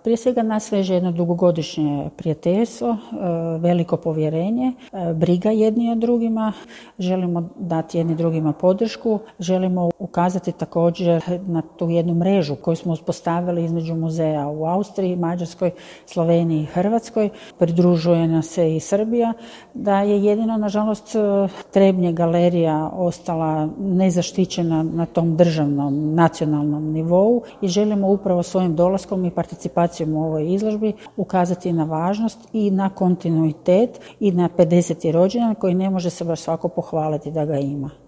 Prije svega nas veže jedno dugogodišnje prijateljstvo, veliko povjerenje, briga jedni o drugima, želimo dati jedni drugima podršku, želimo ukazati također na tu jednu mrežu koju smo uspostavili između muzeja u Austriji, Mađarskoj, Sloveniji i Hrvatskoj. Pridružuje nas se i Srbija, da je jedino, nažalost, Trebnje galerija ostala nezaštićena na tom državnom, nacionalnom nivou i želimo upravo svojim dolaskom i participacijom u ovoj izložbi ukazati na važnost i na kontinuitet i na 50. rođendan koji ne može se baš svako pohvaliti da ga ima.